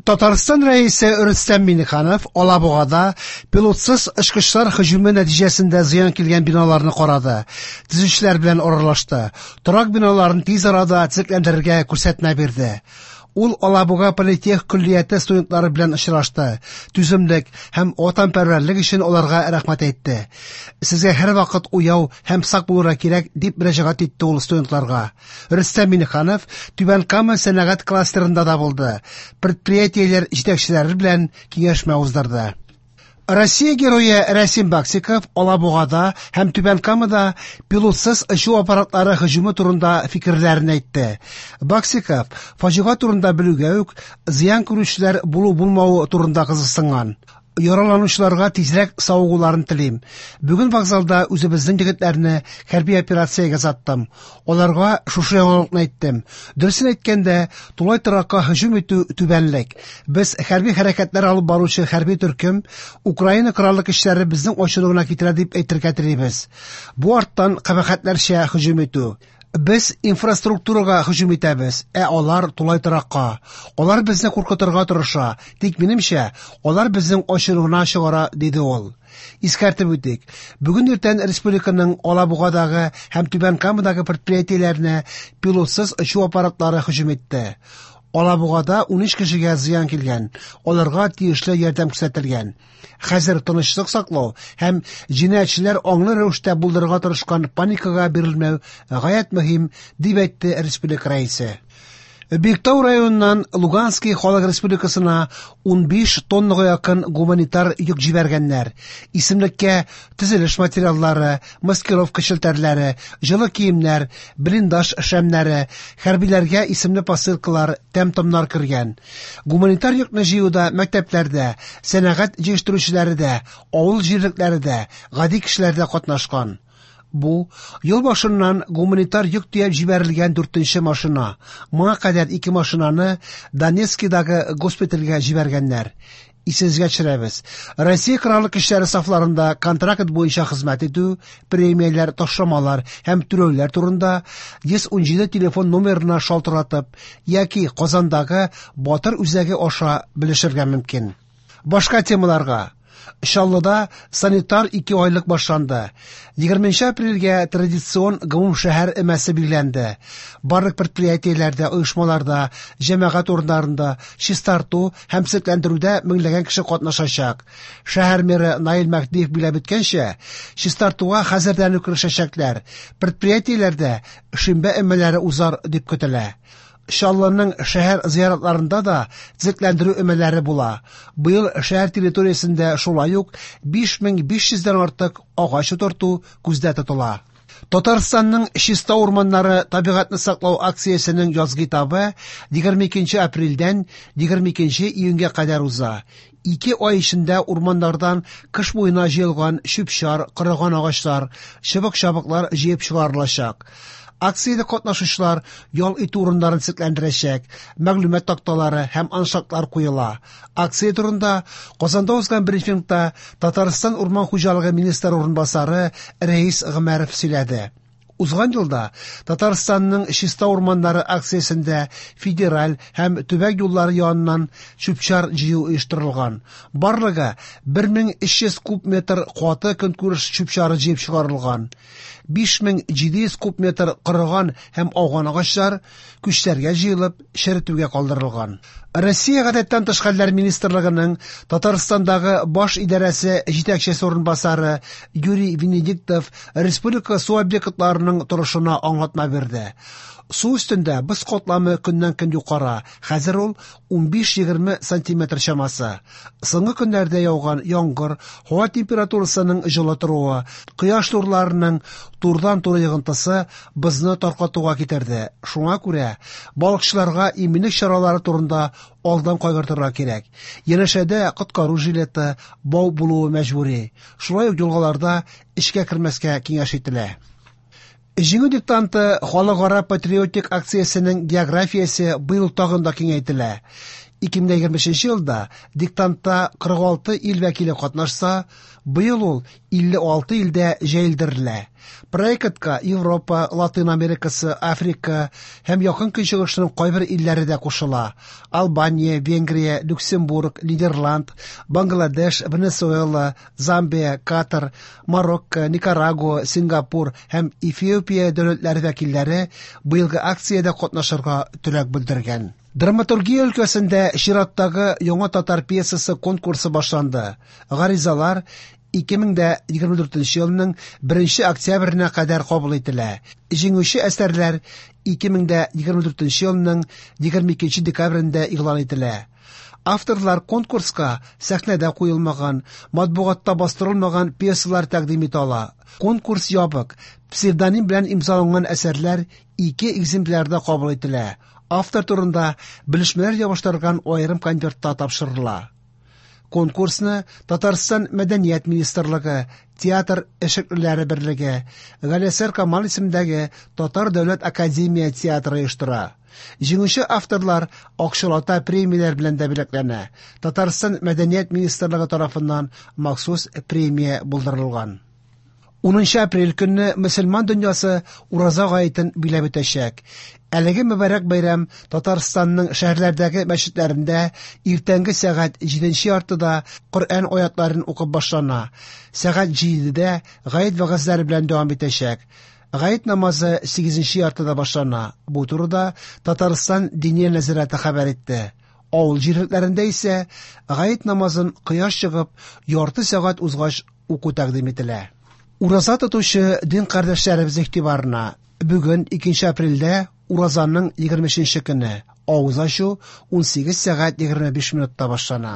Татарстан Рәисе Рөстәм Миңнеханов Алабугада пилотсыз очкычлар һөҗүме нәтиҗәсендә зыян килгән биналарны карады, төзүчеләр белән аралашты, торак биналарын тиз арада төзекләндерергә күрсәтмә бирде. Ул Алабуга политех көллияте студентлары белән очрашты, түземлек һәм ватанпәрвәрлек өчен аларга рәхмәт әйтте. Сезгә һәрвакыт уяу һәм сак булырга кирәк, дип мөрәҗәгать итте ул студентларга. Рөстәм Миңнеханов Түбән Кама сәнәгать кластерында да булды, предприятиеләр җитәкчеләре белән киңәшмә уздырды. Россия герое Рәсим Баксиков Алабугада һәм Түбән Камада пилотсыз очу аппаратлары һөҗүме турында фикерләрен әйтте. Баксиков фаҗига турында белүгә үк зыян күрүчеләр булу-булмавы турында кызыксынган. Яраланучыларга тизрәк савыгуларын телим. Бүген вокзалда үзебезнең егетләрне хәрби операциягә озаттым. Аларга шушы яңалыкны әйттем. Дөресен әйткәндә, тулай торакка һөҗүм итү түбәнлек. Без хәрби хәрәкәтләр алып баручы хәрби төркем Украина Кораллы көчләре безнең ачынуына китерә дип әйтергә телибез. Бу арттан кабахәтләрчә һөҗүм итү. Без инфраструктурага һөҗүм итәбез, ә алар тулай торакка. Алар безне куркытырга тырыша, тик минемчә, алар безнең ачынуына чыгара, диде ул. Искәртеп үтик, бүген иртән республиканың Алабугадагы һәм Түбән Камадагы предприятиеләренә пилотсыз очу аппаратлары һөҗүм итте. Алабугада 13 кешегә зыян килгән, аларга тиешле ярдәм күрсәтелгән. Хәзер тынычлык саклау һәм җинаятьчеләр аңлы рәвештә булдырырга тырышкан паникага бирелмәү гаять мөһим, дип әйтте республика рәисе. Биектау районыннан Луганский халык республикасына 15 тоннага якын гуманитар йөк җибәргәннәр. Исемлеккә төзелеш материаллары, маскировка челтәрләре, җылы киемнәр, блиндаж шәмнәре, хәрбиләргә исемле посылкалар, тәм-томнар кергән. Гуманитар йөкне җыюда мәктәпләрдә, сәнәгать җыештыручылары да, авыл җирлекләре дә, гади кешеләр дә катнашкан. Бу ел башыннан гуманитар йөк төяп җибәрелгән дүртенче машина. Моңа кадәр ике машинаны Донецкидагы госпитальгә җибәргәннәр. Исегезгә төшерәбез. Россия Кораллы көчләре сафларында контракт буенча хезмәт итү, премияләр, ташламалар һәм түләүләр турында 117 телефон номерына шалтыратып яки Казандагы Батыр үзәге аша белешергә мөмкин. Башка темаларга. Чаллыда санитар ике айлык башланды. 20 апрельгә традицион гомумшәһәр өмәсе билгеләнде. Барлык предприятиеләрдә, оешмаларда, җәмәгать урыннарында чистарту һәм төзекләндерүдә меңләгән кеше катнашачак. Шәһәр мэры Наил Мәһдиев билгеләп үткәнчә, чистартуга хәзердән үк керешәчәкләр. Предприятиеләрдә шимбә өмәләре узар дип көтелә. Чаллының шәһәр зыяратларында да төзекләндерү өмәләре була. Быел шәһәр территориясендә шулай ук 5500 дән артык агач утырту күздә тотыла. Татарстанның чиста урманнары табигатьне саклау акциясенең язгы этабы 22 апрельдән 22 июньгә кадәр уза. Ике ай эчендә урманнардан кыш буена җыелган чүп-чар, корыган агачлар, чыбык-чабыклар җыеп чыгарылачак. Акциядә катнашучылар ял итү урыннарын төзекләндерәчәк, мәгълүмат такталары һәм аншлаглар куела. Акция турында Казанда узган брифингта Татарстан урман хуҗалыгы министры урынбасары Рәис Гомәров сөйләде. Узган елда Татарстанның чиста урманнары акциясендә федераль һәм төбәк юллары яныннан чүп-чар җыю оештырылган. Барлыгы 1300 куб метр каты көнкүреш чүп-чары җыеп чыгарылган. 5700 куб метр корыган һәм ауган агачлар күчләргә җыелып, черетүгә калдырылган. Россия гадәттән тыш хәлләр министрлыгының Татарстандагы баш идарәсе җитәкчесе урынбасары Юрий Венедиктов республика су объектларының торышына аңлатма бирде. Су өстендә боз катламы көннән-көн юкара, хәзер ул 15-20 сантиметр чамасы. Соңгы көннәрдә яуган яңгыр, һава температурасының җылы торуы, кояш нурларының турыдан-туры йогынтысы бозны таркатуга китерде. Шуңа күрә балыкчыларга иминлек чаралары турында алдан кайгыртырга кирәк. Янәшәдә коткару жилеты, бау булуы мәҗбүри. Шулай ук елгаларда эчкә кермәскә киңәш ителә. Җиңү диктанты халыкара патриотик акциясенең географиясе быел тагын да киңәйтелә. 2023 елда диктантта 46 ил вәкиле катнашса, быел ул 56 илдә җәелдерелә. Проектка Европа, Латин Америкасы, Африка һәм Якын Көнчыгышның кайбер илләре дә кушыла. Албания, Венгрия, Люксембург, Нидерланд, Бангладеш, Венесуэла, Замбия, Катар, Марокко, Никарагуа, Сингапур һәм Эфиопия дәүләтләре вәкилләре быелгы акциядә катнашырга теләк белдергән. Драматургия өлкәсендә чираттагы яңа татар пьесасы конкурсы башланды. Гаризалар 2024 елның 1 октябренә кадәр кабул ителә. Җиңүче әсәрләр 2024 елның 22 декабрендә игълан ителә. Авторлар конкурска сәхнәдә куелмаган, матбугатта бастырылмаган пьесалар тәкъдим итә ала. Конкурс ябык, псевдоним белән имзаланган әсәрләр ике экземплярда кабул ителә. Автор турында белешмәләр ябыштырылган аерым конвертта тапшырыла. Конкурсны Татарстан Мәдәният министрлыгы, Театр эшлеклеләре берлеге, Галиәсгар Камал исемендәге Татар дәүләт академия театры оештыра. Җиңүче авторлар акчалата премияләр белән дә бүләкләнә. Татарстан Мәдәният министрлыгы тарафыннан махсус премия булдырылган. 10 апрель көнне мөселман дөньясы Ураза гаетен биләп үтәчәк. Әлеге мөбарәк бәйрәм Татарстанның шәһәрләрдәге мәчетләрендә иртәнге сәгать 7:30да Коръән аятларын укып башлана. Сәгать 7дә гает вәгазьләре белән дәвам итәчәк. Гает намазы 8:30да башлана. Бу турыда Татарстан Диния нәзарәте хәбәр итте. Авыл җирлекләрендә исә гает намазын кояш чыгып, ярты сәгать узгач уку тәкъдим ителә. Ураза тотучы дин кардәшләребез игътибарына! Бүген, 2 апрельдә, уразаның 23 нче көне. Авыз ачу 18 сәгать 25 минутта башлана.